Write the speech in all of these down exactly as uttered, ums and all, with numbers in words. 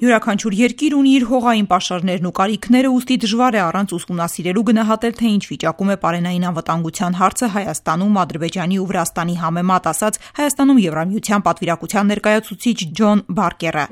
Յուրաքանչյուր երկիր ունի իր հողային պաշարներն ու կարիքները, ուստի դժվար է առանց ուսումնասիրելու գնահատել, թե ինչ վիճակում է պարենային անվտանգության հարցը Հայաստանում, Ադրբեջանի ու Վրաստանի համեմատ, ասաց Հայաստանում Եվրամիության պատվիրակության ներկայացուցիչ Ջոն Բարկերը։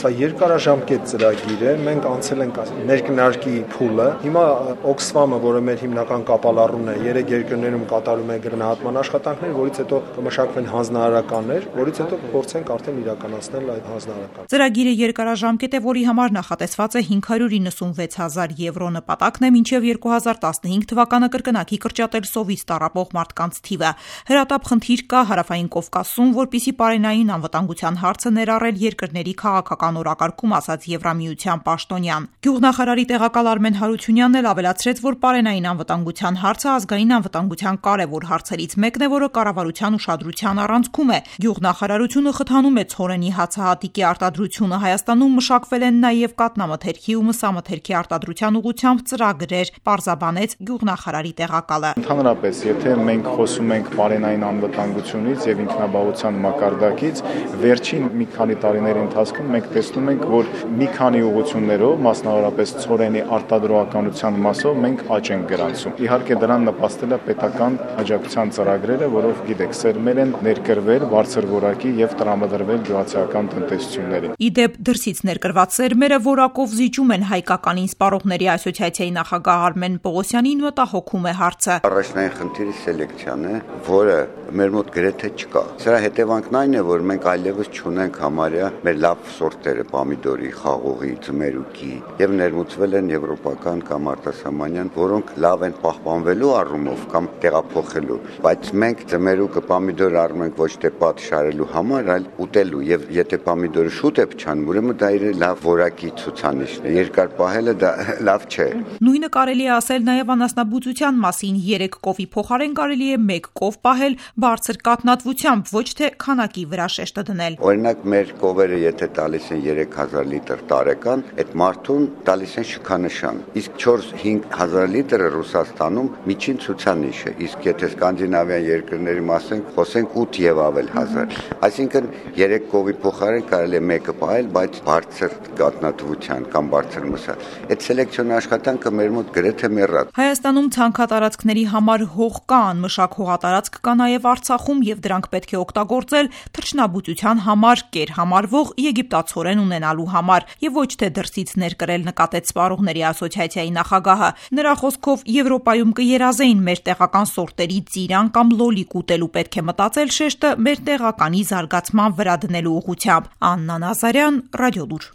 Սա երկարաժամկետ ծրագիր է, մենք անցել ենք ներքնարկի փուլը, հիմա Օքսֆամը, որը մեր հիմնական կապալառուն է, երեք երկրներում կատարում է գնահատման աշխատանքներ, որից հետո կմշակվեն հանձնարարականներ, որից հետո փորձենք արդեն իրականացնել այդ հանձնարարականները։ Ծրագիրը երկարաժամկետ է, որի համար նախատեսված է հինգ հարյուր իննսունվեց հազար եվրո, նպատակն է մինչև երկու հազար տասնհինգ թվականը կրկնակի կրճատել սովից տառապող մարդկանց թիվը։ Հրատապ խնդիր կա Հարավային Կովկասում, որպեսզի պարենային անվտանգության հարցը ներառել երկրների քաղաքական օրակարգում, ասաց Եվրամիության պաշտոնյան։ Գյուղնախարարի տեղակալ Արմեն Հարությունյանն էլ ավելացրեց, որ պարենային անվտանգության հարցը ազգային անվտանգության կարևոր հարցերից մեկն է, որը կառավարության ուշադրության առանցքում է։ Գյուղնախարարությունը խթանում է ցորենի հացահատիկի արտադրությունը Հայաստանում, մշակվել են նաև կաթնամթերքի ու մսամթերքի արտադրության ուղղությամբ ծրագրեր, պարզաբանեց գյուղնախարարի տեղակալը։ Ընդհանրապես, եթե մենք խոսում ենք պարենային անվտանգությունից եւ ինքնաբավության մակարդակից, վերջին մի քանի տարիների ընթացքում մենք տեսնում ենք, որ մի քանի ուղղություններով, մասնավորապես ցորենի արտադրողականության մասով մենք աճ ենք գրանցում։ Իհարկե դրան նպաստել է պետական աջակցության ծրագրերը, որով գիտեք, սերմեր են ներկրվել բարձր որակի եւ տրամադրվել գյուղացիական տնտեսություններին։ Իդեպ դրսից ներկրված սերմերը որակով զիջում են հայկականին, Սպառողների ասոցիացիայի նախագահ Արմեն Պողոսյանին մտահոգում է հարցը։ Առաջնային խնդիրը սելեկցիան է, որը մեր մոտ գրեթե չկա։ Սրա հետևանքն այն է, որ մենք այլևս չունենք համարյա մեր լավ սորտերը պամիդորի, խաղողի, ձմերուկի եւ ներմուծվել են եվրոպական կամ արտասահմանյան, որոնք լավ են պահպանվելու առումով կամ տեղափոխելու, բայց մենք ձմերուկը, պամիդորը առնում ենք ոչ թե պատշարելու համար, այլ ուտելու, եւ եթե պամիդորը շուտ է փչանում, ուրեմն դա իր լավ որակի ցուցանիշն է։ Երկար պահելը դա լավ չէ։ Նույնը կարելի է ասել նաև անասնաբուծության մասին։ Երեք կովի փոխարեն կարելի է մեկ կով պահել բարձր կաթնատվությամբ, ոչ թե քանակի վրա շեշտը դնել։ Օրինակ մեր կովերը եթե տալիս են երեք հազար լիտր տարեկան, այդ մարդուն տալիս են շքանշան։ Իսկ չորս-հինգ հազար լիտրը Ռուսաստանում միջին ցուցանիշ է։ Իսկ եթե սկանդինավյան երկրների մասին խոսենք ութ եւ ավել հազար։ Այսինքն երեք կովի փոխարեն կարելի է մեկը պահել, բայց բարձր կաթնատվության կամ բարձր մսա։ Այդ սելեկցիոն աշխատանքը մեր մոտ գրեթե մեռած։ Հայաստանում ցանքատարածքների համար հող կա, անմշակ հողատարածք կա նաև Արցախում, եւ դրանք պետք է օգտագործել թռչնաբուծության համար, կերհամարվող եգիպտացորեն ունենալու համար, եւ ոչ թե դրսից ներկրել, նկատեց Սպառողների ասոցիացիայի նախագահը։ Նրա խոսքով Եվրոպայում կերազեին մեր տեղական սորտերի ծիրան կամ լոլիկ ուտելու, պետք է մտածել շեշտը մեր տեղականի զարգացման վրա դնելու ուղղությամբ։ Աննա Նազարյան, Ռադիոլուր։